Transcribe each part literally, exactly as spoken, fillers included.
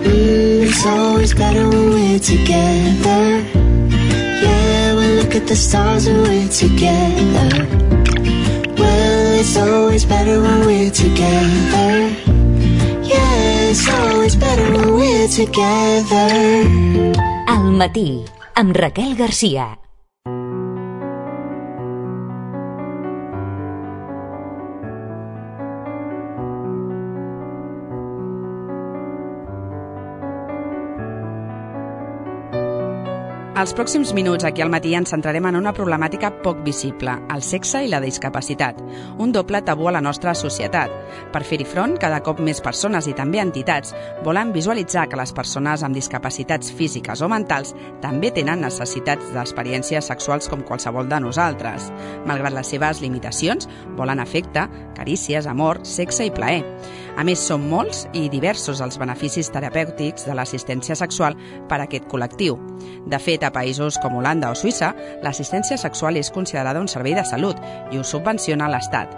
Mm, it's always better when we're together. Yeah, we look at the stars when we're together. Well, it's always better when we're together. Yeah, it's always better when we're together. Al matí, amb Raquel Garcia. Els pròxims minuts aquí al matí ens centrarem en una problemàtica poc visible, el sexe i la discapacitat, un doble tabú a la nostra societat. Per fer-hi front, cada cop més persones i també entitats volen visualitzar que les persones amb discapacitats físiques o mentals també tenen necessitats d'experiències sexuals com qualsevol de nosaltres. Malgrat les seves limitacions, volen afecte, carícies, amor, sexe i plaer. A més, són molts i diversos els beneficis terapèutics de l'assistència sexual per a aquest col·lectiu. De fet, a països com Holanda o Suïssa, l'assistència sexual és considerada un servei de salut i ho subvenciona l'Estat.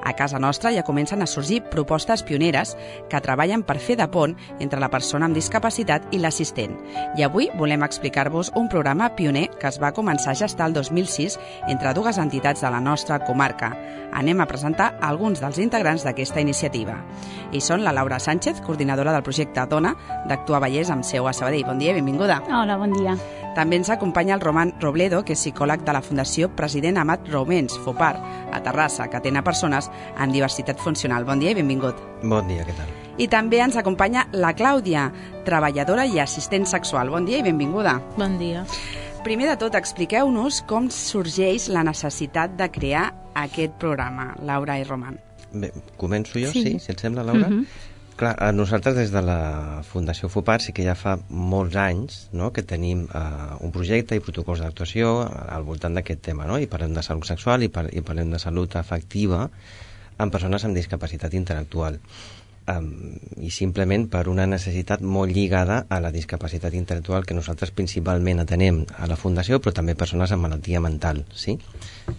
A casa nostra ja comencen a sorgir propostes pioneres que treballen per fer de pont entre la persona amb discapacitat i l'assistent. I avui volem explicar-vos un programa pioner que es va començar a gestar el dos mil sis entre dues entitats de la nostra comarca. Anem a presentar alguns dels integrants d'aquesta iniciativa. I són la Laura Sánchez, coordinadora del projecte Dona d'Actua Vallès amb seu a Sabadell. Bon dia i benvinguda. Hola, bon dia. També ens acompanya el Roman Robledo, que és psicòleg de la Fundació President Amat Roumens, FOPAR, a Terrassa, que atén a persones amb diversitat funcional. Bon dia i benvingut. Bon dia, què tal? I també ens acompanya la Clàudia, treballadora i assistent sexual. Bon dia i benvinguda. Bon dia. Primer de tot, expliqueu-nos com sorgeix la necessitat de crear aquest programa, Laura i Roman. Bé, començo jo, sí, sí si et sembla, Laura? Uh-huh. Clar, nosaltres des de la Fundació FOPAR sí que ja fa molts anys, no?, que tenim uh, un projecte i protocols d'actuació al voltant d'aquest tema, no? I parlem de salut sexual i, par i parlem de salut afectiva en persones amb discapacitat intel·lectual. Um, I simplement per una necessitat molt lligada a la discapacitat intel·lectual que nosaltres principalment atenem a la Fundació, però també persones amb malaltia mental, sí?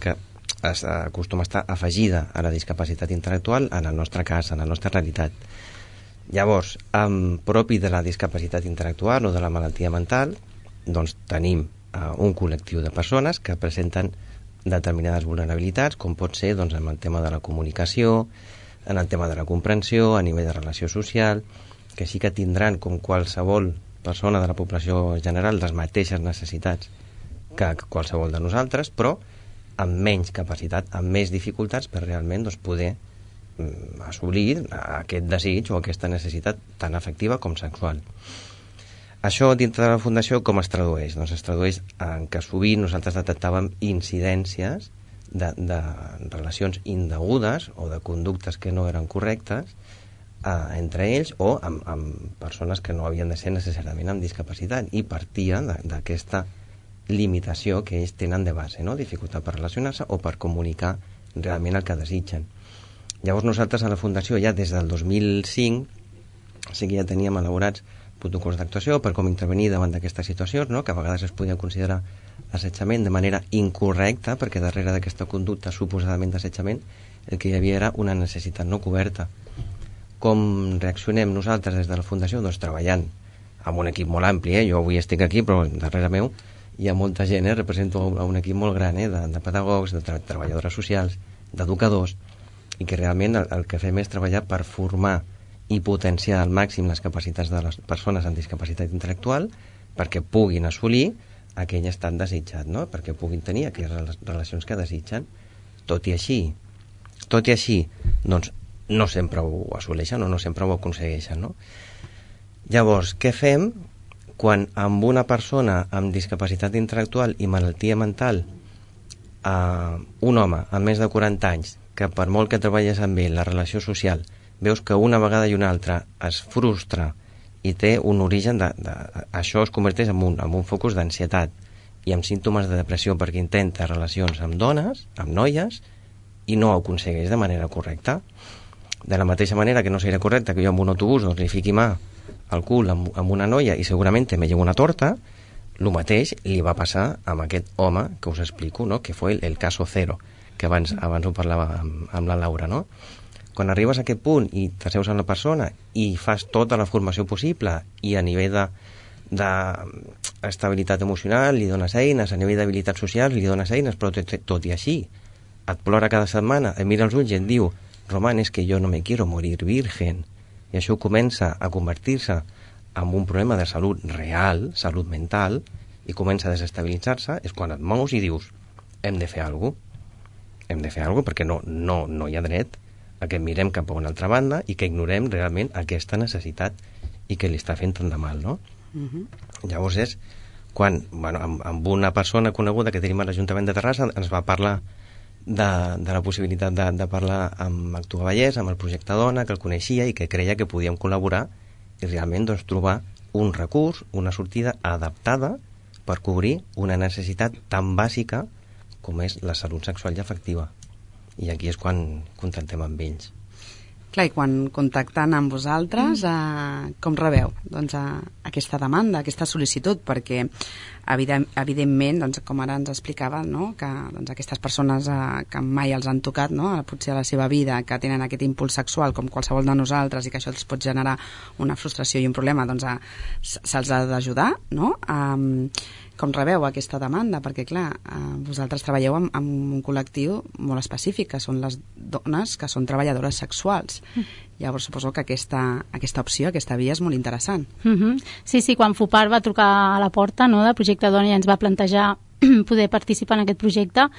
Que es acostuma a estar afegida a la discapacitat intel·lectual en el nostre cas, en la nostra realitat. Llavors, amb propi de la discapacitat intel·lectual o de la malaltia mental, doncs tenim uh, un col·lectiu de persones que presenten determinades vulnerabilitats, com pot ser doncs, en el tema de la comunicació, en el tema de la comprensió, a nivell de relació social, que sí que tindran, com qualsevol persona de la població general, les mateixes necessitats que qualsevol de nosaltres, però amb menys capacitat, amb més dificultats per realment doncs, poder assolir aquest desig o aquesta necessitat tan afectiva com sexual. Això dintre de la Fundació com es tradueix? Doncs es tradueix en que sovint nosaltres detectàvem incidències de, de relacions indegudes o de conductes que no eren correctes eh, entre ells o amb, amb persones que no havien de ser necessàriament amb discapacitat i partia d'aquesta limitació que ells tenen de base, no? Dificultat per relacionar-se o per comunicar realment el que desitgen. Llavors nosaltres a la Fundació ja des del dos mil cinc sí que ja teníem elaborats protocols d'actuació per com intervenir davant d'aquestes situacions, no? Que a vegades es podien considerar assetjament de manera incorrecta, perquè darrere d'aquesta conducta suposadament d'assetjament el que hi havia era una necessitat no coberta. Com reaccionem nosaltres des de la Fundació? Doncs treballant amb un equip molt ampli, eh? Jo avui estic aquí, però darrere meu hi ha molta gent, eh? Represento un equip molt gran, eh? de, de pedagogs, de tra treballadores socials, d'educadors, i que realment el, el que fem és treballar per formar i potenciar al màxim les capacitats de les persones amb discapacitat intel·lectual perquè puguin assolir aquell estat desitjat, no? Perquè puguin tenir aquelles relacions que desitgen. Tot i així, tot i així, doncs no sempre ho assoleixen o no sempre ho aconsegueixen, no? Llavors, què fem quan amb una persona amb discapacitat intel·lectual i malaltia mental, eh, un home amb més de quaranta anys, que per molt que treballes amb ell, la relació social, veus que una vegada i una altra es frustra i té un origen de... de això es converteix en un, en un focus d'ansietat i amb símptomes de depressió perquè intenta relacions amb dones, amb noies, i no ho aconsegueix de manera correcta. De la mateixa manera que no seria correcte que jo amb un autobús doncs, li fiqui mà al cul amb, amb una noia i segurament me llevo una torta, el mateix li va passar amb aquest home que us explico, no? Que fue el, el caso cero, que abans, abans ho parlava amb, amb la Laura, no? Quan arribes a aquest punt i t'asseus amb la persona i fas tota la formació possible i a nivell de d'estabilitat emocional li dones eines, a nivell d'habilitats socials li dones eines, però tot, tot i així et plora cada setmana, et mira els ulls i et diu Román, es que yo no me quiero morir virgen, i això comença a convertir-se en un problema de salut real, salut mental, i comença a desestabilitzar-se, és quan et mous i dius hem de fer alguna cosa, hem de fer alguna cosa perquè no, no, no hi ha dret a que mirem cap a una altra banda i que ignorem realment aquesta necessitat i que li està fent tant de mal, no? Uh-huh. Llavors és quan, bueno, amb, amb una persona coneguda que tenim a l'Ajuntament de Terrassa ens va parlar de, de la possibilitat de, de parlar amb Actua Vallès, amb el projecte Dona, que el coneixia i que creia que podíem col·laborar i realment doncs, trobar un recurs, una sortida adaptada per cobrir una necessitat tan bàsica com és la salut sexual i afectiva. I aquí és quan contactem amb ells. Clar, i quan contacten amb vosaltres, eh, com rebeu doncs, eh, aquesta demanda, aquesta sol·licitud? Perquè, evident, evidentment, doncs, com ara ens explicava, no? que doncs, aquestes persones eh, que mai els han tocat, no? potser a la seva vida, que tenen aquest impuls sexual com qualsevol de nosaltres i que això els pot generar una frustració i un problema, doncs eh, se'ls ha d'ajudar, no? Um, com rebeu aquesta demanda? Perquè, clar, eh, vosaltres treballeu amb, amb un col·lectiu molt específic, que són les dones que són treballadores sexuals. Mm. Llavors, suposo que aquesta, aquesta opció, aquesta via és molt interessant. Mm-hmm. Sí, sí, quan FUPAR va trucar a la porta, no?, del projecte Dona i ens va plantejar poder participar en aquest projecte, a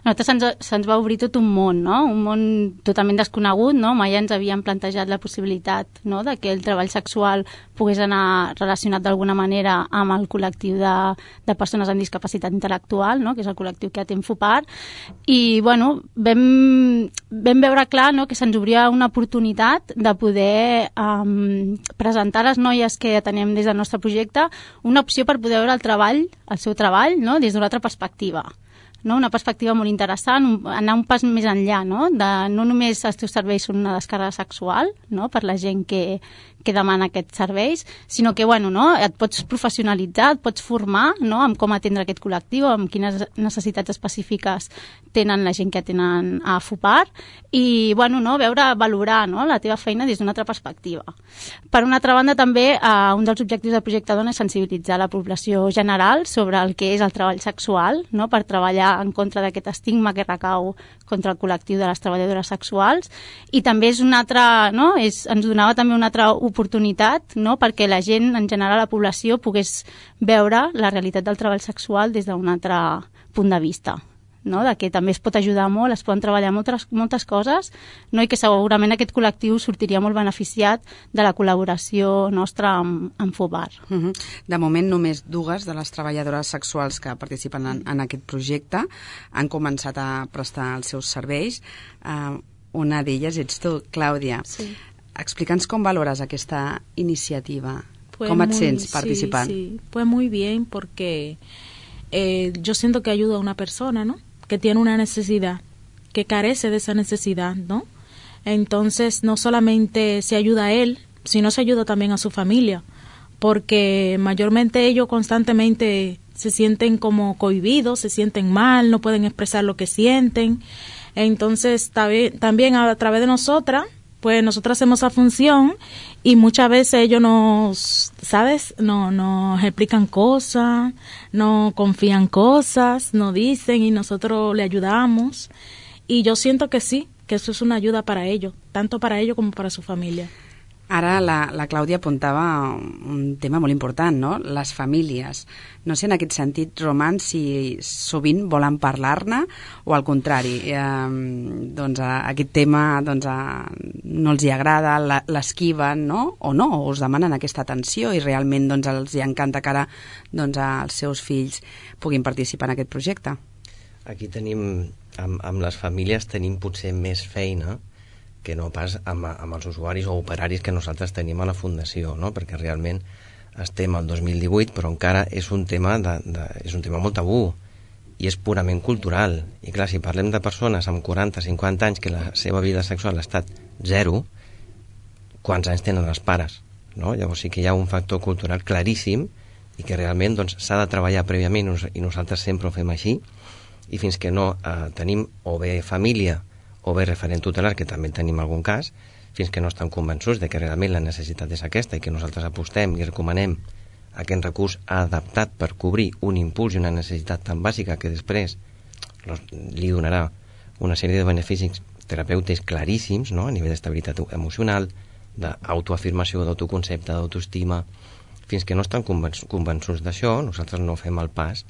nosaltres se'ns, se'ns va obrir tot un món, no? Un món totalment desconegut, no? Mai ens havíem plantejat la possibilitat, no?, de que el treball sexual pogués anar relacionat d'alguna manera amb el col·lectiu de, de persones amb discapacitat intel·lectual, no?, que és el col·lectiu que atén FUPAR, i bueno, vam, vam veure clar, no?, que se'ns obria una oportunitat de poder um, presentar a les noies que atenem des del nostre projecte una opció per poder veure el treball, el seu treball, no?, des d'una altra perspectiva, no? Una perspectiva molt interessant, un, anar un pas més enllà, no? De, no només els teus serveis són una descàrrega sexual, no?, per la gent que, que demana aquests serveis, sinó que bueno, no? Et pots professionalitzar, et pots formar, no?, amb com atendre aquest col·lectiu, amb quines necessitats específiques tenen la gent que atenen a FUPAR i bueno, no? Veure, valorar, no?, la teva feina des d'una altra perspectiva. Per una altra banda també, eh, un dels objectius del projecte Dona és sensibilitzar la població general sobre el que és el treball sexual, no?, per treballar en contra d'aquest estigma que recau contra el col·lectiu de les treballadores sexuals, i també és una altra, no?, és, ens donava també una altra oportunitat, no?, perquè la gent, en general, la població, pogués veure la realitat del treball sexual des d'un altre punt de vista, no?, de que també es pot ajudar molt, es poden treballar moltes, moltes coses, no?, i que segurament aquest col·lectiu sortiria molt beneficiat de la col·laboració nostra amb, amb FUPAR. Uh-huh. De moment, només dues de les treballadores sexuals que participen en, en aquest projecte han començat a prestar els seus serveis. Uh, una d'elles ets tu, Clàudia. Sí. Explica'ns com valores aquesta iniciativa. Pues ¿Cómo te muy, sientes participando? Sí, sí. Pues muy bien, porque eh, yo siento que ayuda a una persona, ¿no?, que tiene una necesidad, que carece de esa necesidad, ¿no? Entonces, no solamente se ayuda a él, sino se ayuda también a su familia, porque mayormente ellos constantemente se sienten como cohibidos, se sienten mal, no pueden expresar lo que sienten. Entonces, también a través de nosotras, pues nosotros hacemos esa función y muchas veces ellos nos, ¿sabes? No, nos explican cosas, nos confían cosas, nos dicen y nosotros le ayudamos. Y yo siento que sí, que eso es una ayuda para ellos, tanto para ellos como para su familia. Ara la, la Clàudia apuntava un tema molt important, no?, les famílies. No sé en aquest sentit, Román, si sovint volen parlar-ne o al contrari, eh, doncs aquest tema doncs, eh, no els hi agrada, l'esquiven, no?, o no, o us demanen aquesta atenció i realment doncs, els hi encanta que ara doncs, els seus fills puguin participar en aquest projecte. Aquí tenim, amb, amb les famílies tenim potser més feina que no pas amb, amb els usuaris o operaris que nosaltres tenim a la Fundació, no? Perquè realment estem al dos mil divuit, però encara és un tema, de, de, és un tema molt tabú i és purament cultural. I clar, si parlem de persones amb quaranta a cinquanta anys que la seva vida sexual ha estat zero, quants anys tenen els pares? No? Llavors sí que hi ha un factor cultural claríssim i que realment doncs, s'ha de treballar prèviament i nosaltres sempre ho fem així, i fins que no eh, tenim o bé família o bé referent tutelar, que també tenim algun cas, fins que no estan convençuts de que realment la necessitat és aquesta i que nosaltres apostem i recomanem aquest recurs adaptat per cobrir un impuls i una necessitat tan bàsica que després li donarà una sèrie de beneficis terapèutics claríssims, no? A nivell d'estabilitat emocional, d'autoafirmació, d'autoconcepte, d'autoestima. Fins que no estan convençuts d'això, nosaltres no fem el pas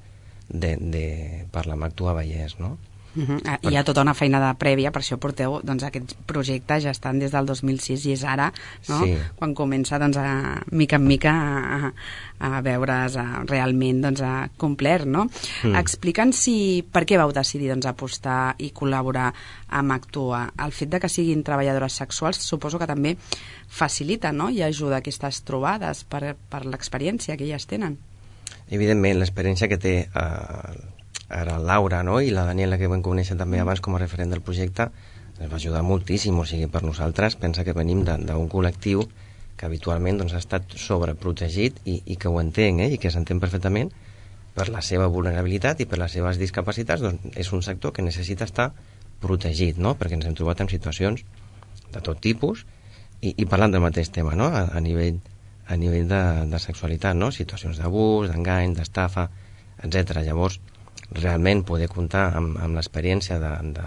de, de parlar amb Actua Vallès, no? Uh-huh. Hi ha tota una feina de prèvia, per això porteu, doncs aquests projectes ja estan des del dos mil sis i és ara, no? Sí. Quan comença, doncs, a mica en mica a, a veure's a, realment, doncs, a complert, no? Mm. Explica'ns si, per què vau decidir, doncs, apostar i col·laborar amb Actua. El fet de que siguin treballadores sexuals suposo que també facilita, no?, i ajuda aquestes trobades per, per l'experiència que elles tenen. Evidentment, l'experiència que té eh, ara Laura, no?, i la Daniela, que vam conèixer també abans com a referent del projecte, ens va ajudar moltíssim. O sigui, per nosaltres, pensa que venim d'un col·lectiu que habitualment, doncs, ha estat sobreprotegit i, i que ho entenc, eh?, i que s'entén perfectament per la seva vulnerabilitat i per les seves discapacitats. Doncs és un sector que necessita estar protegit, no?, perquè ens hem trobat en situacions de tot tipus i, i parlant del mateix tema, no?, a, a nivell, a nivell de, de sexualitat, no?, situacions d'abús, d'engany, d'estafa, etcètera. Llavors, realment poder comptar amb, amb l'experiència de, de,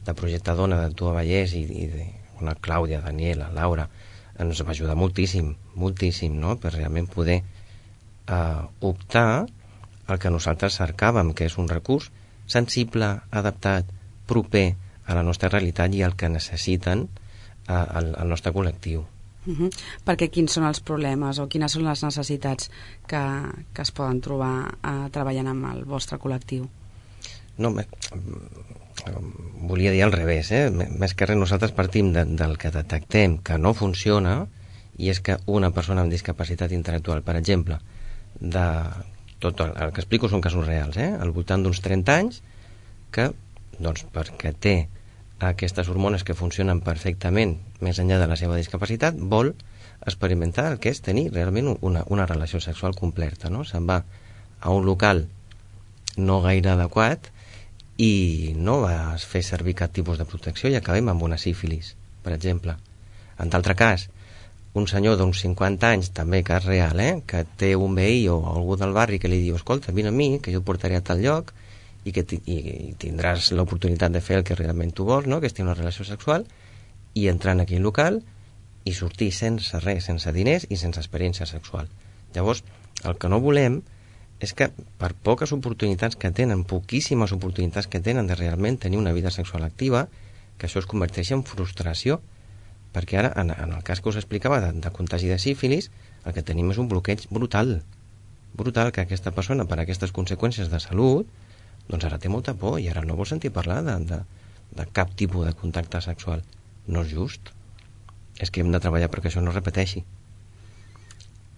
de Projecte Dona d'Actua Vallès i, i de una Clàudia, Daniela, Laura, ens va ajudar moltíssim, moltíssim, no?, per realment poder eh, optar al que nosaltres cercàvem, que és un recurs sensible, adaptat, proper a la nostra realitat i al que necessiten eh, el, el nostre col·lectiu. Uh-huh. Perquè quins són els problemes o quines són les necessitats que, que es poden trobar uh, treballant amb el vostre col·lectiu? No, me, volia dir al revés, eh? Més que res nosaltres partim de, del que detectem que no funciona, i és que una persona amb discapacitat intel·lectual, per exemple, de tot el, el que explico són casos reals, eh? Al voltant d'uns trenta anys, que, doncs, perquè té aquestes hormones que funcionen perfectament més enllà de la seva discapacitat, vol experimentar el que és tenir realment una, una relació sexual completa, no? Se'n va a un local no gaire adequat i no va fer servir cap tipus de protecció i acabem amb una sífilis, per exemple. En d'altre cas, un senyor d'uns cinquanta anys, també cas real, eh? Que té un veí o algú del barri que li diu, escolta, vine amb mi, que jo et portaré a tal lloc, i que i tindràs l'oportunitat de fer el que realment tu vols, no?, que és tenir una relació sexual, i entrar en aquell local i sortir sense res, sense diners i sense experiència sexual. Llavors, el que no volem és que per poques oportunitats que tenen, poquíssimes oportunitats que tenen de realment tenir una vida sexual activa, que això es converteix en frustració, perquè ara, en, en el cas que us explicava de, de contagi de sífilis, el que tenim és un bloqueig brutal, brutal, que aquesta persona, per aquestes conseqüències de salut, doncs ara té molta por i ara no vol sentir parlar de, de, de cap tipus de contacte sexual. No és just. És que hem de treballar perquè això no es repeteixi.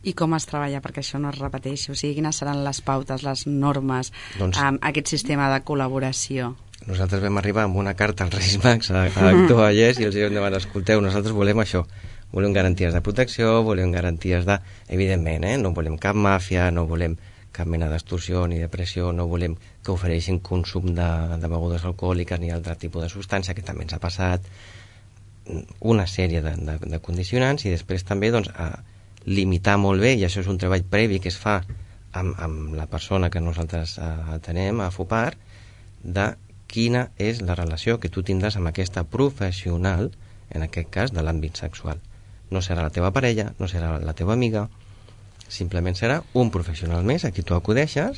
I com es treballa perquè això no es repeteixi? O sigui, quines seran les pautes, les normes, doncs, amb aquest sistema de col·laboració? Nosaltres vam arribar amb una carta als Reis Mags a, a Actua Vallès i els hem demanat, escolteu, nosaltres volem això. Volem garanties de protecció, volem garanties de... Evidentment, eh? No volem cap màfia, no volem cap mena d'extorsió ni de pressió, no volem que ofereixin consum de, de begudes alcohòliques ni altre tipus de substància, que també ens ha passat, una sèrie de, de, de condicionants, i després també, doncs, a limitar molt bé, i això és un treball previ que es fa amb, amb la persona que nosaltres atenem a FUPAR, de quina és la relació que tu tindràs amb aquesta professional, en aquest cas de l'àmbit sexual. No serà la teva parella, no serà la teva amiga, simplement serà un professional més a qui tu acudeixes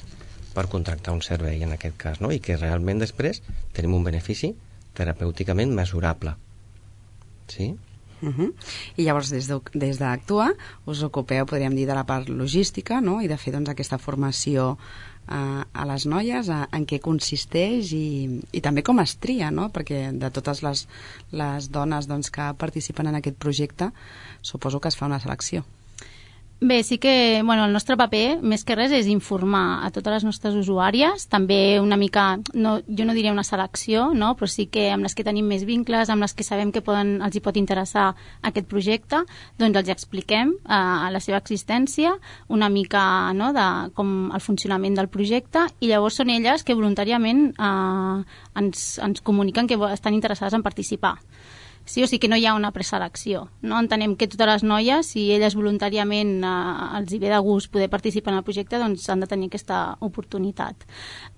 per contractar un servei, en aquest cas, no? I que realment després tenim un benefici terapèuticament mesurable. Sí? Uh-huh. I llavors des de, des d'Actua us ocupeu, podríem dir, de la part logística, no?, i de fer, doncs, aquesta formació a, a les noies, a, en què consisteix i, i també com es tria, no?, perquè de totes les, les dones, doncs, que participen en aquest projecte suposo que es fa una selecció. Bé, sí que bueno, el nostre paper, més que res, és informar a totes les nostres usuàries, també una mica, no, jo no diria una selecció, no? Però sí que amb les que tenim més vincles, amb les que sabem que poden, els hi pot interessar aquest projecte, doncs els expliquem eh, la seva existència, una mica no, de com el funcionament del projecte, i llavors són elles que voluntàriament eh, ens, ens comuniquen que estan interessades en participar. Sí, o sigui que no hi ha una preselecció. No? Entenem que totes les noies, si elles voluntàriament eh, els hi ve de gust poder participar en el projecte, doncs han de tenir aquesta oportunitat.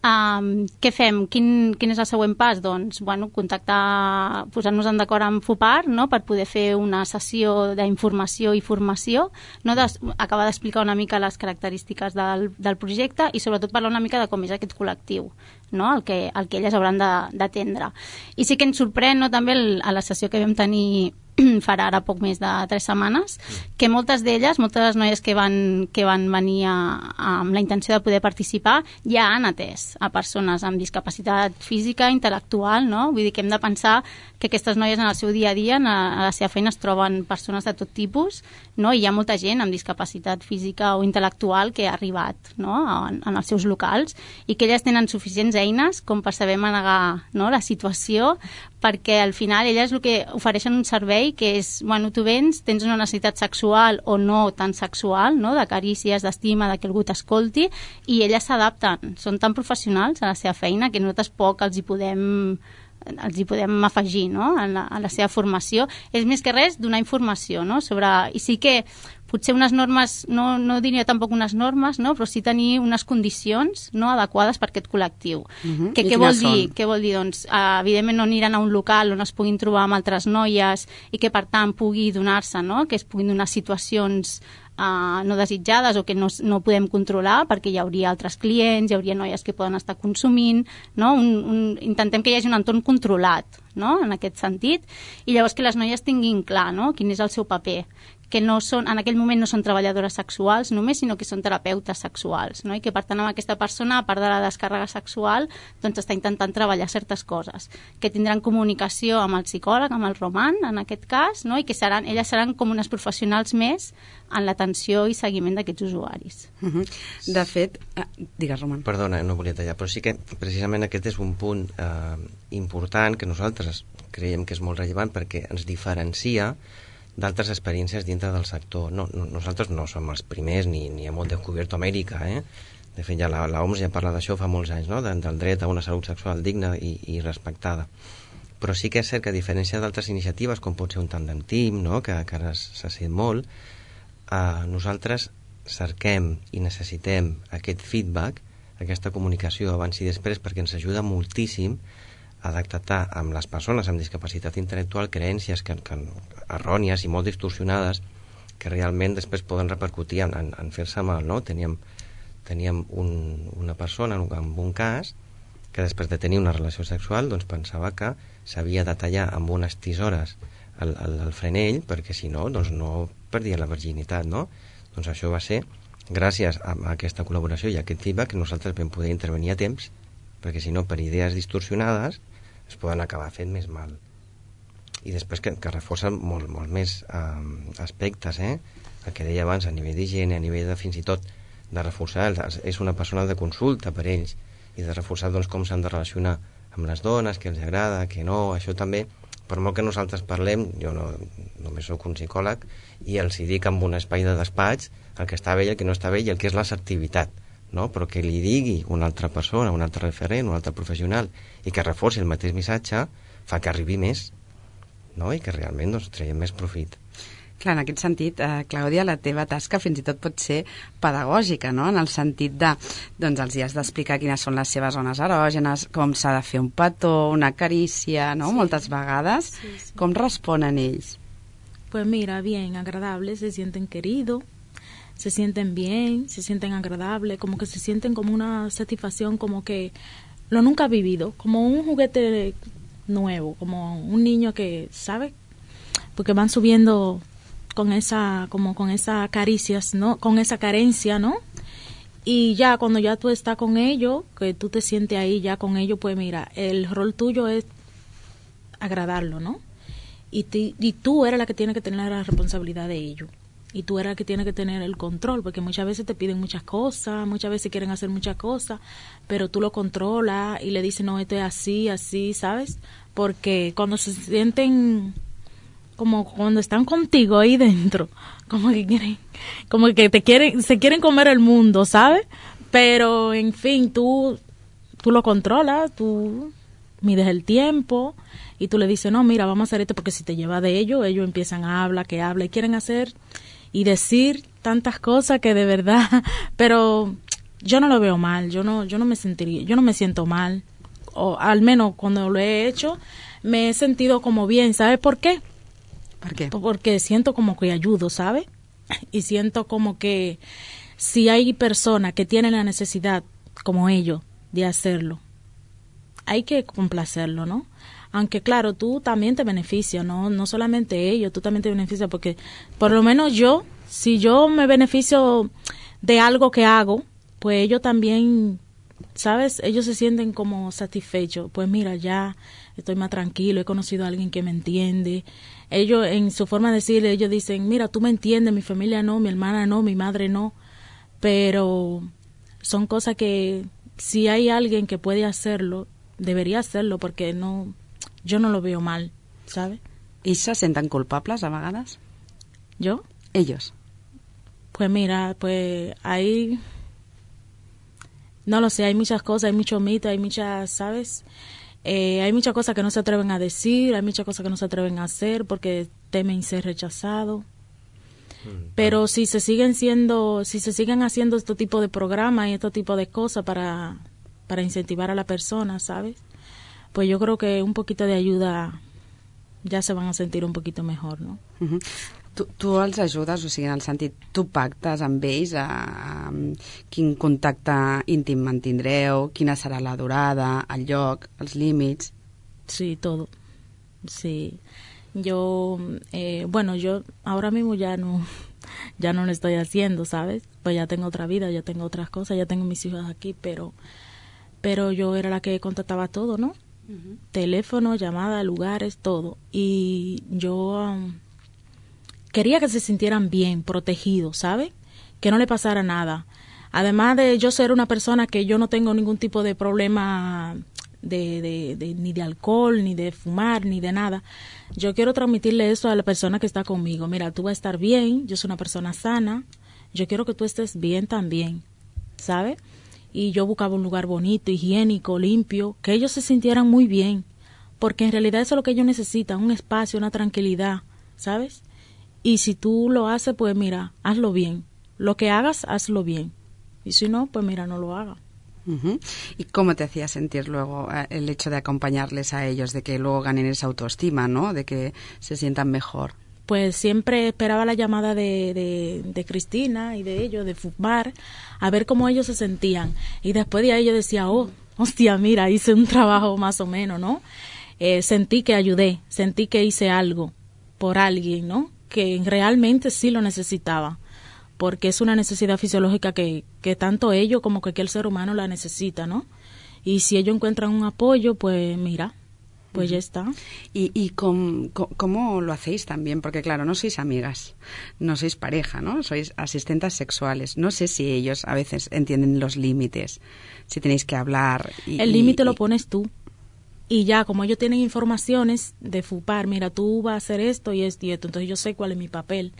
Um, què fem? Quin, quin és el següent pas? Doncs, bueno, contactar, posar-nos en d'acord amb FUPAR, no?, per poder fer una sessió d'informació i formació, no? Des, acabar d'explicar una mica les característiques del, del projecte i sobretot parlar una mica de com és aquest col·lectiu, no? el, que, el que elles hauran d'atendre. I sí que ens sorprèn, no?, també el, a la sessió que vam tenir farà ara poc més de tres setmanes, que moltes d'elles, moltes de les noies que van, que van venir a, a, amb la intenció de poder participar, ja han atès a persones amb discapacitat física, intel·lectual, no? Vull dir que hem de pensar que aquestes noies en el seu dia a dia, a la seva feina, es troben persones de tot tipus, no? I hi ha molta gent amb discapacitat física o intel·lectual que ha arribat, no?, en, en els seus locals, i que elles tenen suficients eines com per saber manegar, no?, la situació, perquè al final elles el que ofereixen un servei que és, bueno, tu vens, tens una necessitat sexual o no tan sexual, no?, de carícies, d'estima, de que algú t'escolti, i elles s'adapten, són tan professionals a la seva feina que nosaltres poc els hi podem els hi podem afegir, no?, a la, a la seva formació. És més que res donar informació, no?, sobre... I sí que potser unes normes, no, no diria tampoc unes normes, no?, però sí tenir unes condicions, no?, adequades per aquest col·lectiu. Uh-huh. Que, què vol dir? Què vol dir? Doncs, uh, evidentment no aniran a un local on es puguin trobar amb altres noies i que per tant pugui donar-se, no?, que es puguin donar situacions Uh, no desitjades o que no, no podem controlar, perquè hi hauria altres clients, hi hauria noies que poden estar consumint, no? un, un, intentem que hi hagi un entorn controlat, no?, en aquest sentit, i llavors que les noies tinguin clar, no?, quin és el seu paper, que no són, en aquell moment no són treballadores sexuals només, sinó que són terapeutes sexuals, no?, i que per tant amb aquesta persona, a part de la descàrrega sexual, doncs està intentant treballar certes coses, que tindran comunicació amb el psicòleg, amb el Roman, en aquest cas, no?, i que seran, elles seran com unes professionals més en l'atenció i seguiment d'aquests usuaris. Uh-huh. De fet, ah, digues, Roman. Perdona, no volia tallar, però sí que precisament aquest és un punt eh, important que nosaltres creiem que és molt rellevant perquè ens diferencia d'altres experiències dintre del sector. No, no, nosaltres no som els primers ni, ni hem descobert Amèrica, eh? De fet, ja la, la O M S ja parla d'això fa molts anys, no?, de, del dret a una salut sexual digna i, i respectada. Però sí que és cert que a diferència d'altres iniciatives, com pot ser un tàndem team, no?, que, que ara s'ha sent molt, eh, nosaltres cerquem i necessitem aquest feedback, aquesta comunicació abans i després, perquè ens ajuda moltíssim a detectar amb les persones amb discapacitat intel·lectual creences que, que errònies i molt distorsionades que realment després poden repercutir en, en, en fer-se mal, no? Teníem, teníem un, una persona amb un cas que després de tenir una relació sexual doncs pensava que s'havia de tallar amb unes tisores el, el, el frenell perquè si no, doncs no perdia la virginitat, no? Doncs això va ser gràcies a, a aquesta col·laboració i a aquest feedback que nosaltres vam poder intervenir a temps, perquè si no per idees distorsionades es poden acabar fent més mal. I després que, que reforcen molt, molt més eh, aspectes, eh? El que deia abans a nivell d'higiene, a nivell de fins i tot de reforçar, és una persona de consulta per ells i de reforçar doncs, com s'han de relacionar amb les dones, què els agrada, què no, això també, per molt que nosaltres parlem, jo no, només soc un psicòleg i els hi dic amb un espai de despatx el que està bé i el que no està bé i el que és l'assertivitat, no? Però que li digui una altra persona, un altre referent, un altre professional i que reforci el mateix missatge fa que arribi més, no? I que realment doncs, traiem més profit. Clar, en aquest sentit, eh, Clàudia, la teva tasca fins i tot pot ser pedagògica, no?, en el sentit de, doncs els hi has d'explicar quines són les seves zones erògenes, com s'ha de fer un petó, una carícia, no?, sí. Moltes vegades. Sí, sí. Com responen ells? Pues mira, bien, agradable, se sienten queridos, se sienten bien, se sienten agradables, como que se sienten como una satisfacción, como que lo nunca ha vivido, como un juguete nuevo, como un niño que, ¿sabe? Porque van subiendo con esa, como con esas caricias, ¿no? Con esa carencia, ¿no? Y ya cuando ya tú estás con ellos, que tú te sientes ahí ya con ellos, pues mira, el rol tuyo es agradarlo, ¿no? Y, te, y tú eres la que tiene que tener la responsabilidad de ello. y tú eres el que tiene que tener el control, porque muchas veces te piden muchas cosas, muchas veces quieren hacer muchas cosas, pero tú lo controlas y le dices, no, esto es así, así, ¿sabes? Porque cuando se sienten, como cuando están contigo ahí dentro, como que quieren, como que te quieren, se quieren comer el mundo, ¿sabes? Pero, en fin, tú, tú lo controlas, tú mides el tiempo y tú le dices, no, mira, vamos a hacer esto, porque si te lleva de ellos, ellos empiezan a hablar, que habla y quieren hacer y decir tantas cosas que de verdad, pero yo no lo veo mal, yo no, yo no me sentiría, yo no me siento mal, o al menos cuando lo he hecho, me he sentido como bien, ¿sabes por qué? ¿Por qué? Porque siento como que ayudo, ¿sabes? Y siento como que si hay personas que tienen la necesidad, como ellos, de hacerlo, hay que complacerlo, ¿no? Aunque claro, tú también te beneficias, ¿no? No solamente ellos, tú también te beneficias, porque por lo menos yo, si yo me beneficio de algo que hago, pues ellos también, ¿sabes? Ellos se sienten como satisfechos. Pues mira, ya estoy más tranquilo, he conocido a alguien que me entiende. Ellos, en su forma de decir, ellos dicen, mira, tú me entiendes, mi familia no, mi hermana no, mi madre no. Pero son cosas que si hay alguien que puede hacerlo, debería hacerlo, porque no, yo no lo veo mal, ¿sabes? ¿Y se senten culpables a vegades? ¿Yo? Ellos. Pues mira, pues ahí, no lo sé, hay muchas cosas, hay muchos mitos, hay muchas, ¿sabes? Eh, hay muchas cosas que no se atreven a decir, hay muchas cosas que no se atreven a hacer porque temen ser rechazados. Pero si se siguen siendo, si se siguen haciendo este tipo de programas y este tipo de cosas para, para incentivar a la persona, ¿sabes? Pues yo creo que un poquito de ayuda ja se van a sentir un poquito mejor, no? Uh-huh. Tu, tu els ajudes, o sigui, en el sentit, tu pactes amb ells a, a quin contacte íntim mantindreu, quina serà la durada, el lloc, els límits... Sí, todo. Sí. Yo, eh, bueno, yo ahora mismo ya no, ya no lo estoy haciendo, ¿sabes? Pues ya tengo otra vida, ya tengo otras cosas, ya tengo mis hijos aquí, pero, pero yo era la que contactaba todo, ¿no? Uh-huh. Teléfono, llamada, lugares, todo. Y yo um, quería que se sintieran bien, protegidos, ¿sabes? Que no le pasara nada. Además de yo ser una persona que yo no tengo ningún tipo de problema de, de, de ni de alcohol, ni de fumar, ni de nada. Yo quiero transmitirle eso a la persona que está conmigo. Mira, tú vas a estar bien, yo soy una persona sana, yo quiero que tú estés bien también, ¿sabes? Y yo buscaba un lugar bonito, higiénico, limpio, que ellos se sintieran muy bien, porque en realidad eso es lo que ellos necesitan, un espacio, una tranquilidad, ¿sabes? Y si tú lo haces, pues mira, hazlo bien. Lo que hagas, hazlo bien. Y si no, pues mira, no lo hagas. Uh-huh. ¿Y cómo te hacía sentir luego el hecho de acompañarles a ellos, de que luego ganen esa autoestima, ¿no? De que se sientan mejor? Pues siempre esperaba la llamada de, de, de Cristina y de ellos, de fumar, a ver cómo ellos se sentían. Y después de ahí yo decía, oh, hostia, mira, hice un trabajo más o menos, ¿no? Eh, sentí que ayudé, sentí que hice algo por alguien, ¿no? Que realmente sí lo necesitaba, porque es una necesidad fisiológica que, que tanto ellos como cualquier ser humano la necesita, ¿no? Y si ellos encuentran un apoyo, pues mira, pues ya está. ¿Y, y com, com, cómo lo hacéis también? Porque claro, no sois amigas, no sois pareja, ¿no? Sois asistentes sexuales. No sé si ellos a veces entienden los límites, si tenéis que hablar. Y, el límite y, lo pones tú. Y ya, como ellos tienen informaciones de FUPAR, mira, tú vas a hacer esto y esto y esto, entonces yo sé cuál es mi papel,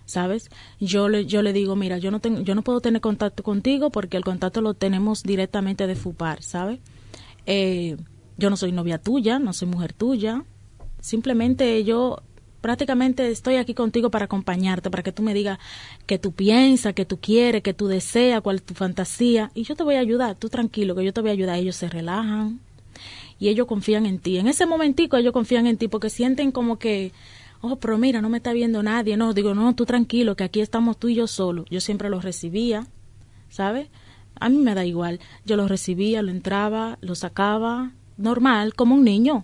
¿sabes? Yo le, yo le digo, mira, yo no tengo, yo no puedo tener contacto contigo porque el contacto lo tenemos directamente de FUPAR, ¿sabes? Eh... Yo no soy novia tuya, no soy mujer tuya, simplemente yo prácticamente estoy aquí contigo para acompañarte, para que tú me digas qué tú piensas, qué tú quieres, qué tú deseas, cuál es tu fantasía, y yo te voy a ayudar, tú tranquilo, que yo te voy a ayudar. Ellos se relajan y ellos confían en ti. En ese momentico ellos confían en ti porque sienten como que, oh, pero mira, no me está viendo nadie. No, digo, no, tú tranquilo, que aquí estamos tú y yo solo. Yo siempre los recibía, ¿sabes? A mí me da igual, yo los recibía, lo entraba, lo sacaba, normal, com un niño.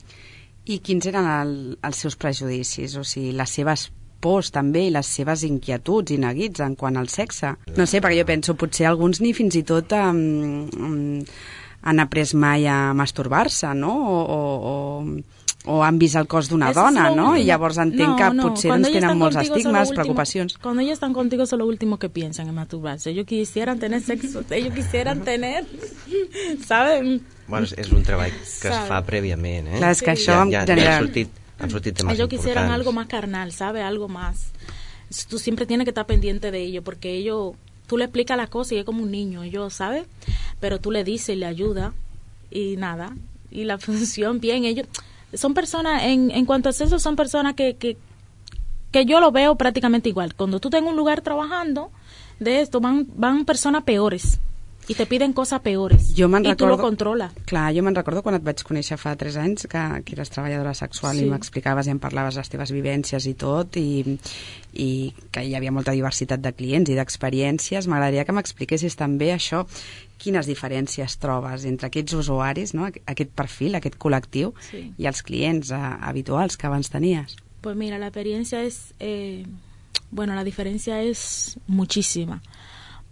I quins eren el, els seus prejudicis? O sigui, les seves pors també i les seves inquietuds i neguits en quant al sexe? No sé, perquè jo penso, potser alguns ni fins i tot um, um, han après mai a masturbar-se, no? O, o, o o han vist el cos d'una dona, ¿no? I llavors entenc no, que no. potser Cuando doncs, tenen molts contigo, estigmes, último, preocupacions. Cuando ellos están contigo, eso es lo último que piensan en masturbarse. Ellos quisieran tener sexo, ellos quisieran tener, ¿saben? Bueno, és un treball que es fa prèviament, eh? Clar, és que això ja, ja, ja han sortit, han sortit temes ellos importants. quisieran algo más carnal, ¿sabes? Algo más. Tú siempre tienes que estar pendiente de ellos, porque ellos, tú le explicas las cosas y es como un niño, ellos, ¿sabes? Pero tú le dices y le ayudas y nada. Y la función, bien, ellos son personas, en, en cuanto a eso, son personas que, que, que yo lo veo prácticamente igual. Cuando tú estás en un lugar trabajando de esto, van, van personas peores i te piden coses peores jo i recordo, tu lo controles. Clar, jo me'n recordo quan et vaig conèixer fa tres anys que, que eres treballadora sexual sí. i m'explicaves i em parlaves les teves vivències i tot i, i que hi havia molta diversitat de clients i d'experiències. M'agradaria que m'expliquessis també això, quines diferències trobes entre aquests usuaris, no? Aquest perfil, aquest col·lectiu sí. i els clients eh, habituals que abans tenies. Pues mira, la experiencia es, eh, bueno, la diferencia es muchísima.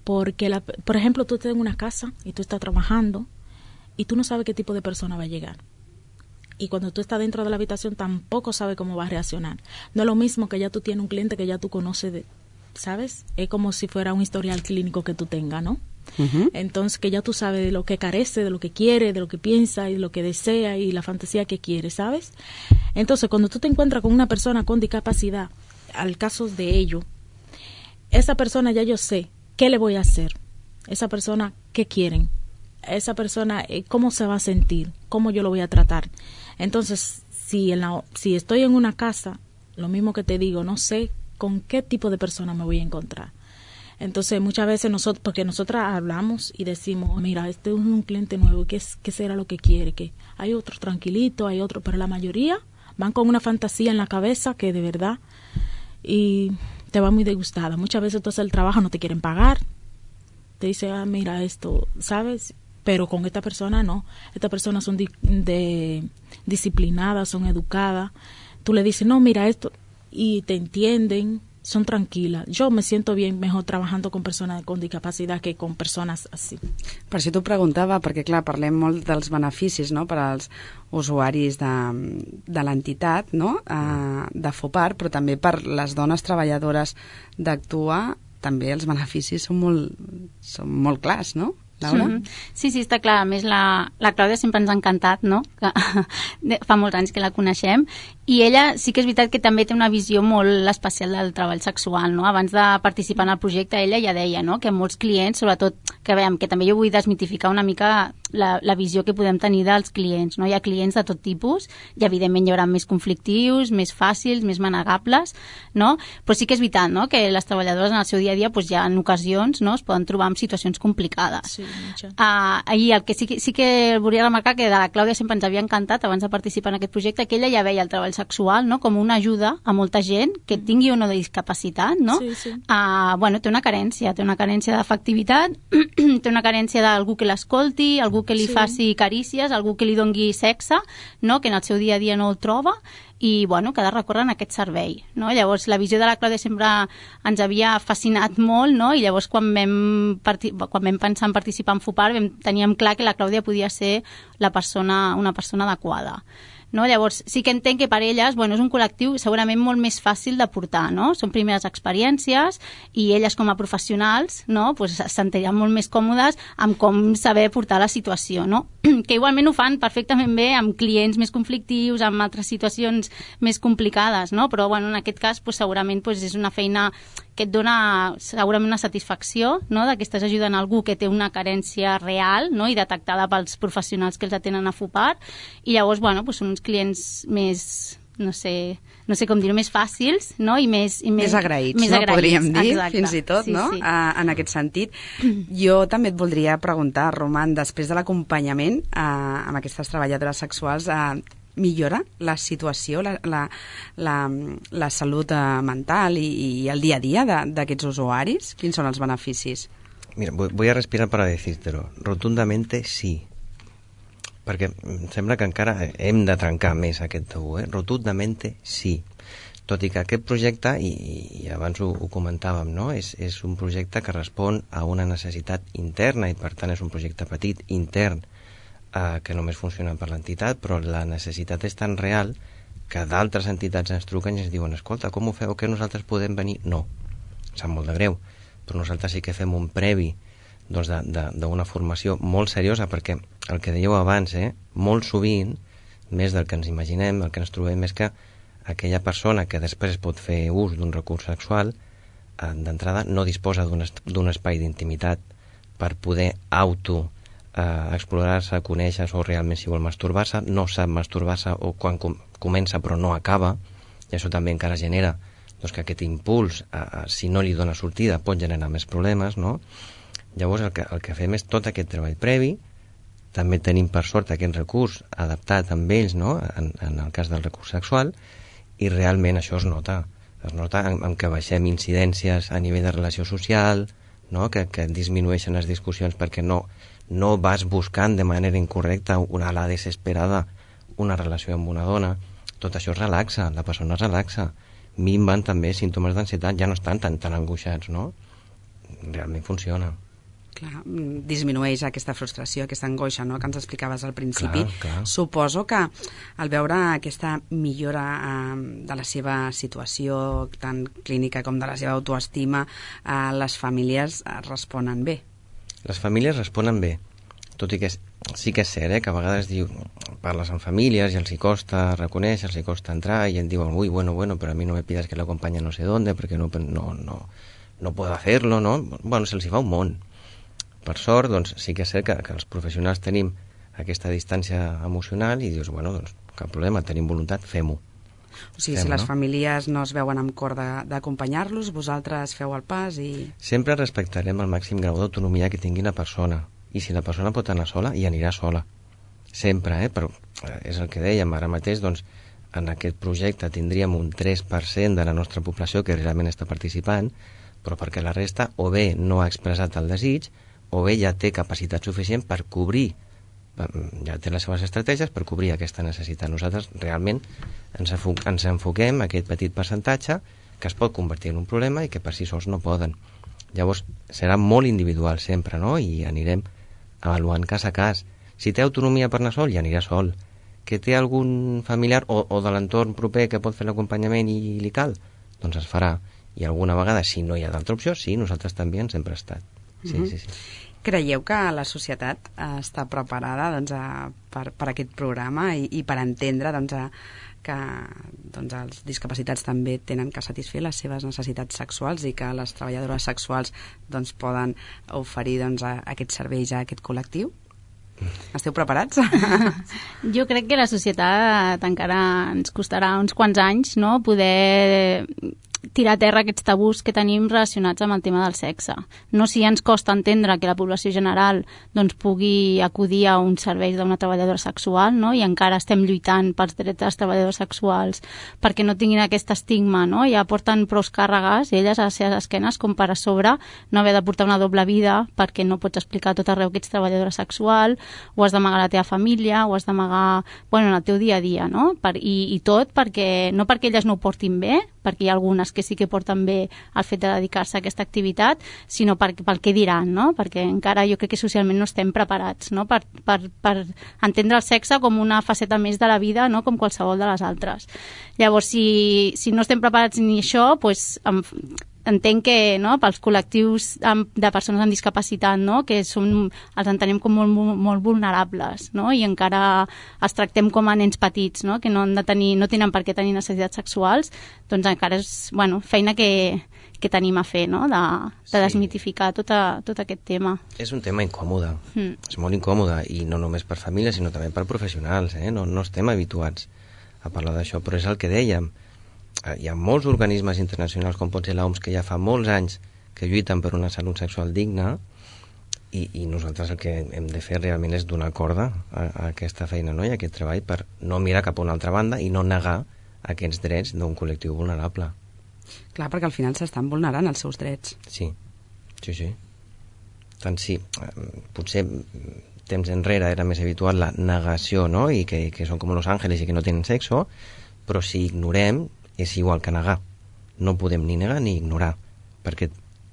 Porque, la, por ejemplo, tú estás en una casa y tú estás trabajando y tú no sabes qué tipo de persona va a llegar. Y cuando tú estás dentro de la habitación tampoco sabes cómo va a reaccionar. No es lo mismo que ya tú tienes un cliente que ya tú conoces, de, ¿sabes? Es como si fuera un historial clínico que tú tengas, ¿no? Uh-huh. Entonces, que ya tú sabes de lo que carece, de lo que quiere, de lo que piensa y de lo que desea y la fantasía que quiere, ¿sabes? Entonces, cuando tú te encuentras con una persona con discapacidad, al caso de ello, esa persona ya yo sé ¿qué le voy a hacer? Esa persona, ¿qué quieren? Esa persona, ¿cómo se va a sentir? ¿Cómo yo lo voy a tratar? Entonces, si, en la, si estoy en una casa, lo mismo que te digo, no sé con qué tipo de persona me voy a encontrar. Entonces, muchas veces nosotros, porque nosotras hablamos y decimos, mira, este es un cliente nuevo, ¿qué, qué será lo que quiere? Que hay otro tranquilito, hay otro, pero la mayoría van con una fantasía en la cabeza que de verdad... y te va muy disgustada. Muchas veces tú haces el trabajo, no te quieren pagar. Te dice, ah, mira esto, ¿sabes? Pero con esta persona no. Estas personas son di- de, disciplinadas, son educadas. Tú le dices, no, mira esto, y te entienden, son tranquilas. Yo me siento bien mejor trabajando con persones con discapacitat que con persones així. Per això t'ho preguntava, perquè clar, parlem molt dels beneficis, no?, per als usuaris de, de l'entitat, no?, uh, de FOPAR, però també per les dones treballadores d'Actua, també els beneficis són molt, són molt clars, no? Laura? Mm-hmm. Sí, sí, està clar. A més, la, la Clàudia sempre ens ha encantat, no? Que, fa molts anys que la coneixem. I ella sí que és veritat que també té una visió molt especial del treball sexual, no? Abans de participar en el projecte, ella ja deia, no?, que molts clients, sobretot, que veiem, que també jo vull desmitificar una mica la, la visió que podem tenir dels clients, no? Hi ha clients de tot tipus i, evidentment, hi haurà més conflictius, més fàcils, més manegables, no? Però sí que és veritat, no?, que les treballadores en el seu dia a dia, doncs, ja en ocasions, no?, es poden trobar en situacions complicades. Sí. Uh, i el que sí, que sí que volia remarcar que de la Clàudia sempre ens havia encantat abans de participar en aquest projecte, que ella ja veia el treball sexual, no?, com una ajuda a molta gent que tingui o no de discapacitat, no? Sí, sí. Uh, bueno, té una carència, té una carència d'efectivitat, té una carència d'algú que l'escolti, algú que li sí. faci carícies, algú que li dongui sexe, no?, que en el seu dia a dia no el troba, i bueno, que ha de recórrer en aquest servei, no? Llavors la visió de la Clàudia sempre ens havia fascinat molt, no? I llavors quan vam, parti- quan vam pensar en participar en FOPAR vam, teníem clar que la Clàudia podia ser la persona, una persona adequada, no? Llavors sí que entenc que per elles, bueno, és un col·lectiu segurament molt més fàcil de portar, no? Són primeres experiències i elles com a professionals, no?, pues, es sentirien molt més còmodes amb com saber portar la situació, no? Que igualment ho fan perfectament bé amb clients més conflictius, amb altres situacions més complicades, no? Però bueno, en aquest cas pues, segurament pues, és una feina que et dona segurament una satisfacció, no?, de que estàs ajudant algú que té una carència real, no?, i detectada pels professionals que els atenen a FOPAR, i llavors, bueno, pues, són uns clients més, no sé, no sé com dir-ho, més fàcils, no?, i més... I més, més agraïts, més no?, agraïts, podríem dir, exacte. fins i tot, sí, no?, sí. Uh, en aquest sentit. Jo també et voldria preguntar, Roman, després de l'acompanyament uh, amb aquestes treballadores sexuals, uh, millora la situació, la, la, la, la salut uh, mental i, i el dia a dia d'aquests usuaris? Quins són els beneficis? Mira, voy a respirar para decírtelo. Rotundamente sí. Perquè em sembla que encara hem de trencar més aquest tabú, eh? Rotundamente sí. Tot i que aquest projecte, i, i abans ho, ho comentàvem, no?, és, és un projecte que respon a una necessitat interna i per tant és un projecte petit, intern, eh, que només funcionen per l'entitat, però la necessitat és tan real que d'altres entitats ens truquen i ens diuen escolta, com ho feu, que nosaltres podem venir? No, em sap molt de greu, però nosaltres sí que fem un previ doncs, d'una formació molt seriosa, perquè el que dèieu abans, eh, molt sovint, més del que ens imaginem, el que ens trobem és que aquella persona que després pot fer ús d'un recurs sexual, eh, d'entrada no disposa d'un espai d'intimitat per poder auto eh, explorar-se, conèixer-se o realment si vol masturbar-se, no sap masturbar-se o quan com comença però no acaba, i això també encara genera doncs, que aquest impuls, eh, si no li dona sortida, pot generar més problemes, no? Llavors el que, el que fem és tot aquest treball previ, també tenim per sort aquest recurs adaptat amb ells, no? en, en el cas del recurs sexual, i realment això es nota, es nota en, en que baixem incidències a nivell de relació social, no? que, que disminueixen les discussions perquè no, no vas buscant de manera incorrecta una ala desesperada una relació amb una dona, tot això es relaxa, la persona es relaxa, minven també símptomes d'ansietat, ja no estan tan, tan angoixats, no? Realment funciona. Clar, disminueix aquesta frustració, aquesta angoixa, no?, que ens explicaves al principi. Clar, clar. Suposo que al veure aquesta millora eh, de la seva situació, tant clínica com de la seva autoestima, eh, les famílies eh, responen bé. Les famílies responen bé, tot i que és, sí que és cert, eh, que a vegades diu, parles amb famílies i els hi costa reconèixer, els hi costa entrar, i et diuen, ui, bueno, bueno, pero a mí no me pidas que la acompañe no sé dónde, porque no, no, no, no puedo hacerlo, no? Bueno, se'ls hi fa un món. Per sort, doncs, sí que és cert que, que els professionals tenim aquesta distància emocional i dius, bueno, doncs, cap problema, tenim voluntat, fem-ho. O sigui, fem, si les no? famílies no es veuen amb cor d'acompanyar-los, vosaltres feu el pas i... Sempre respectarem el màxim grau d'autonomia que tingui la persona, i si la persona pot anar sola, hi anirà sola. Sempre, eh? Però és el que dèiem, ara mateix, doncs, en aquest projecte tindríem un tres per cent de la nostra població que realment està participant, però perquè la resta o bé no ha expressat el desig, o bé ja té capacitat suficient per cobrir, ja té les seves estratègies per cobrir aquesta necessitat. Nosaltres realment ens, ens enfoquem a aquest petit percentatge que es pot convertir en un problema i que per si sols no poden. Llavors serà molt individual sempre, no? I anirem avaluant cas a cas. Si té autonomia per anar sol, ja anirà sol. Que té algun familiar o, o de l'entorn proper que pot fer l'acompanyament i li cal, doncs es farà. I alguna vegada, si no hi ha d'altra opció, sí, nosaltres també ens hem prestat. Sí, mm-hmm. sí, sí. Creieu que la societat està preparada doncs, a, per, per aquest programa i, i per entendre doncs, a, que doncs, els discapacitats també tenen que satisfer les seves necessitats sexuals i que les treballadores sexuals doncs, poden oferir doncs, a, a aquests serveis a aquest col·lectiu? Esteu preparats? Jo crec que la societat encara ens costarà uns quants anys, no?, poder tirar a terra aquests tabús que tenim relacionats amb el tema del sexe. No si ens costa entendre que la població general doncs, pugui acudir a uns serveis d'una treballadora sexual, no?, i encara estem lluitant pels drets dels treballadors sexuals perquè no tinguin aquest estigma, no? Ja porten prou càrregues elles a les seves esquenes com per a sobre no haver de portar una doble vida perquè no pots explicar tot arreu que ets treballadora sexual, ho has d'amagar a la teva família, ho has d'amagar bueno, en el teu dia a dia, no? Per, i, i tot perquè, no perquè elles no ho portin bé, perquè hi ha algunes que sí que porten bé el fet de dedicar-se a aquesta activitat, sinó per, pel que diran, no? Perquè encara jo crec que socialment no estem preparats, no? Per, per, per entendre el sexe com una faceta més de la vida, no? Com qualsevol de les altres. Llavors, si, si no estem preparats ni això, doncs, entenc que no, pels col·lectius de persones amb discapacitat, no, que som, els entenem com molt, molt, molt vulnerables, no, i encara els tractem com a nens petits, no, que no, han de tenir, no tenen per què tenir necessitats sexuals, doncs encara és bueno, feina que, que tenim a fer, no, de, de desmitificar tot, a, tot aquest tema. És un tema incòmode, mm. és molt incòmode, i no només per famílies, sinó també per professionals, eh? no, no estem habituats a parlar d'això, però és el que dèiem. Hi ha molts organismes internacionals com pot ser l'O M S que ja fa molts anys que lluiten per una salut sexual digna i, i nosaltres el que hem de fer realment és donar corda a, a aquesta feina, no? I a aquest treball per no mirar cap a una altra banda i no negar aquests drets d'un col·lectiu vulnerable. Clar, perquè al final s'estan vulnerant els seus drets. Sí, sí, sí. Tant sí, potser temps enrere era més habitual la negació, no? I que, que són com los ángeles i que no tenen sexo, però si ignorem és igual que negar. No podem ni negar ni ignorar, perquè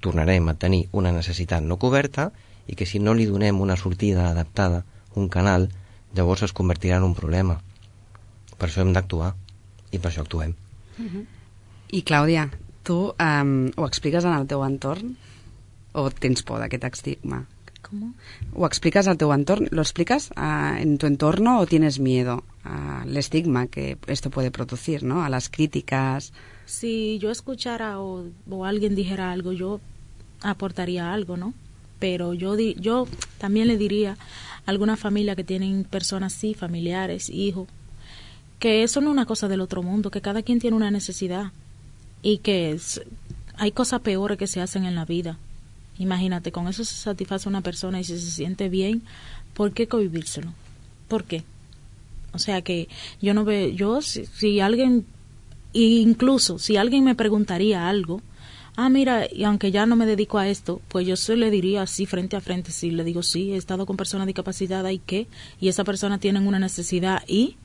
tornarem a tenir una necessitat no coberta i que si no li donem una sortida adaptada, un canal, llavors es convertirà en un problema. Per això hem d'actuar, i per això actuem. Uh-huh. I Clàudia, tu um, ho expliques en el teu entorn o tens por d'aquest estigma? ¿Cómo? ¿O explicas al teu entorn? ¿Lo explicas uh, en tu entorno o tienes miedo al estigma que esto puede producir, ¿no? A las críticas? Si yo escuchara o, o alguien dijera algo, yo aportaría algo, ¿no? Pero yo, di, yo también le diría a alguna familia que tienen personas así, familiares, hijos, que eso no es una cosa del otro mundo, que cada quien tiene una necesidad y que es, hay cosas peores que se hacen en la vida. Imagínate, con eso se satisface una persona y si se siente bien, ¿por qué cohibírselo? ¿Por qué? O sea que yo no veo, yo si, si alguien, incluso si alguien me preguntaría algo, ah, mira, y aunque ya no me dedico a esto, pues yo se le diría así frente a frente, si le digo, sí, he estado con personas discapacitadas y qué, y esa persona tiene una necesidad y,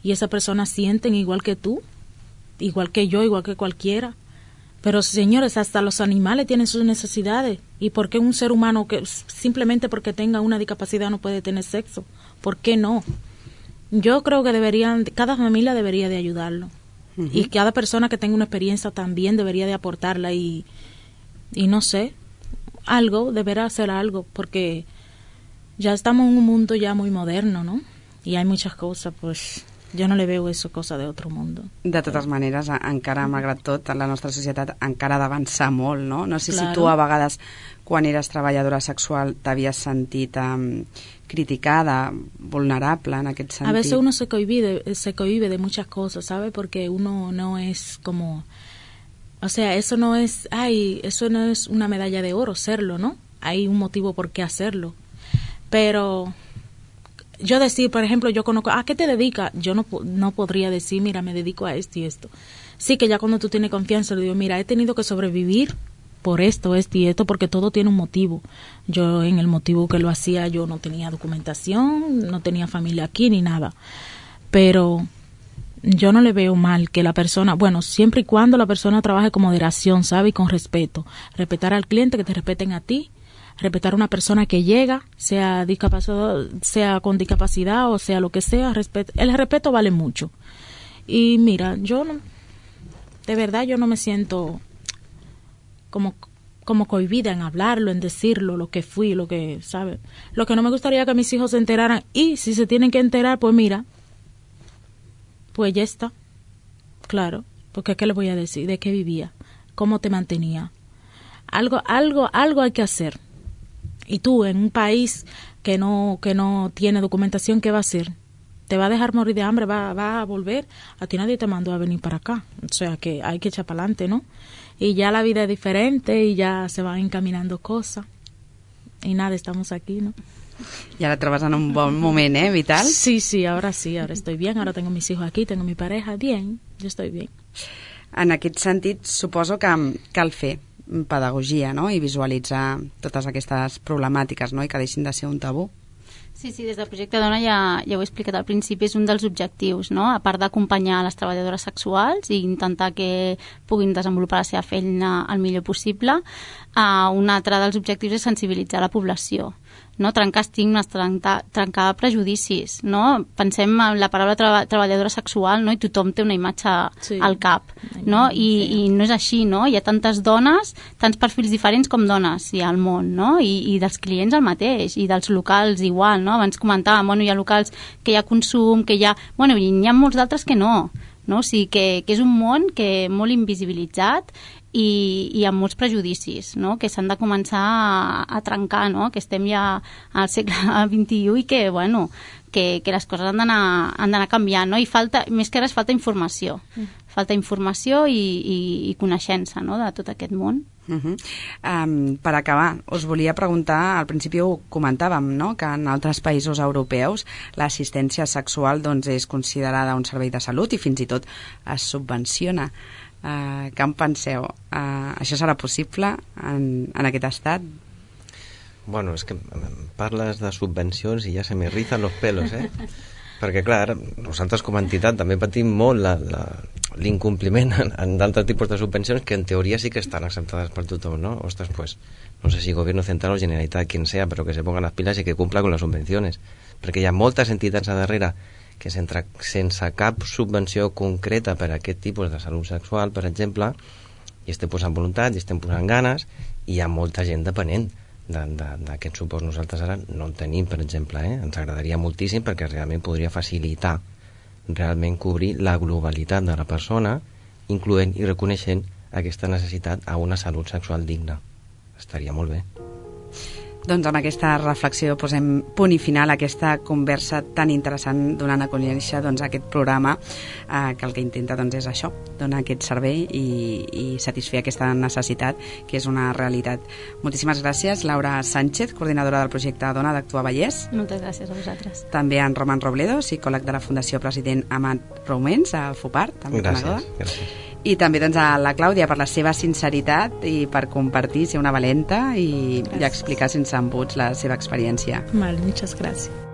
y esa persona sienten igual que tú, igual que yo, igual que cualquiera. Pero señores, hasta los animales tienen sus necesidades. ¿Y por qué un ser humano que simplemente porque tenga una discapacidad no puede tener sexo? ¿Por qué no? Yo creo que deberían, cada familia debería de ayudarlo. Uh-huh. Y cada persona que tenga una experiencia también debería de aportarla y, y no sé, algo, deberá hacer algo, porque ya estamos en un mundo ya muy moderno, ¿no? Y hay muchas cosas, pues jo no le veu això cosa d'altre món. De totes maneres, encara, malgrat tot, la nostra societat encara ha d'avançar molt, no? No sé claro. si tu a vegades, quan eres treballadora sexual, t'havies sentit um, criticada, vulnerable en aquest sentit. A veces uno se cohibe, de, se cohibe de muchas cosas, ¿sabe? Porque uno no es como... O sea, eso no es... Ay, eso no es una medalla de oro serlo, ¿no? Hay un motivo por qué hacerlo. Pero... Yo decir, por ejemplo, yo conozco, ¿a qué te dedicas? Yo no, no podría decir, mira, me dedico a esto y esto. Sí que ya cuando tú tienes confianza, le digo, mira, he tenido que sobrevivir por esto, esto y esto, porque todo tiene un motivo. Yo en el motivo que lo hacía, yo no tenía documentación, no tenía familia aquí ni nada. Pero yo no le veo mal que la persona, bueno, siempre y cuando la persona trabaje con moderación, ¿sabe? Y con respeto. Respetar al cliente, que te respeten a ti. Respetar a una persona que llega, sea discapacidad, sea con discapacidad o sea lo que sea, respeto, el respeto vale mucho. Y mira, yo no, de verdad yo no me siento como como cohibida en hablarlo, en decirlo, lo que fui, lo que, ¿sabe? Lo que no me gustaría que mis hijos se enteraran, y si se tienen que enterar, pues mira, pues ya está, claro, porque ¿qué les voy a decir? ¿De qué vivía? ¿Cómo te mantenía? Algo, algo, algo hay que hacer. Y tú, en un país que no que no tiene documentación, ¿qué va a hacer? ¿Te va a dejar morir de hambre? ¿Va, va a volver? A ti nadie te mandó a venir para acá. O sea, que hay que echar para adelante, ¿no? Y ya la vida es diferente y ya se van encaminando cosas. Y nada, estamos aquí, ¿no? Y ahora trabas en un bon moment, ¿eh, Vital? Sí, sí, ahora sí, ahora estoy bien. Ahora tengo mis hijos aquí, tengo mi pareja, bien, yo estoy bien. En aquest sentit, suposo que cal fer pedagogia, no? I visualitzar totes aquestes problemàtiques, no? I que deixin de ser un tabú. Sí, sí, des del projecte Dona ja, ja ho he explicat al principi, és un dels objectius, no? A part d'acompanyar les treballadores sexuals i intentar que puguin desenvolupar la seva feina el millor possible, uh, un altre dels objectius és sensibilitzar la població, no? Trencar estigmes, trencar, trencar prejudicis, no? Pensem en la paraula treba, treballadora sexual, no? I tothom té una imatge sí. al cap, no? I, I no és així, no? Hi ha tantes dones, tants perfils diferents com dones hi ha al món, no? I, i dels clients el mateix, i dels locals igual, no? Abans comentàvem, bueno, hi ha locals que hi ha consum, que hi ha... Bueno, i n'hi ha molts d'altres que no, no? O sigui que, que és un món que molt invisibilitzat i, i amb molts prejudicis, no? Que s'han de començar a, a trencar, no? Que estem ja al segle vint-i-u i que, bueno, que, que les coses han d'anar canviant, no? I falta, més que res falta informació, mm. falta informació i, i, i coneixença, no? De tot aquest món. Uh -huh. um, per acabar, us volia preguntar, al principi ho comentàvem, no? Que en altres països europeus l'assistència sexual doncs, és considerada un servei de salut i fins i tot es subvenciona. Uh, què en penseu? Uh, això serà possible en, en aquest estat? Bueno, és que parles de subvencions i ja se me rizan los pelos, eh? Perquè, clar, nosaltres com a entitat també patim molt l'incompliment en, en d'altres tipus de subvencions que en teoria sí que estan acceptades per tothom, ¿no? Ostres, pues, no sé si gobierno central o Generalitat, quien sea, pero que se pongan las pilas y que cumpla con las subvenciones. perquè hi ha moltes entitats a darrere que sense, sense cap subvenció concreta per a aquest tipus de salut sexual, per exemple, i estem posant voluntat, i estem posant ganes, i hi ha molta gent depenent d'aquest suport. Nosaltres ara no el tenim, per exemple, eh? Ens agradaria moltíssim perquè realment podria facilitar realment cobrir la globalitat de la persona, incloent i reconeixent aquesta necessitat a una salut sexual digna. Estaria molt bé. Doncs amb aquesta reflexió posem punt i final a aquesta conversa tan interessant donant a conèixer doncs, aquest programa eh, que el que intenta doncs, és això, donar aquest servei i, i satisfer aquesta necessitat que és una realitat. Moltíssimes gràcies, Laura Sánchez, coordinadora del projecte Dona d'Actua Vallès. Moltes gràcies a vosaltres. També en Roman Robledo, psicòleg de la Fundació President Amat Roumens, a FUPAR. També gràcies, gràcies. I també doncs, a la Clàudia per la seva sinceritat i per compartir, ser una valenta i, i explicar sense embuts la seva experiència. Vale, muchas gracias.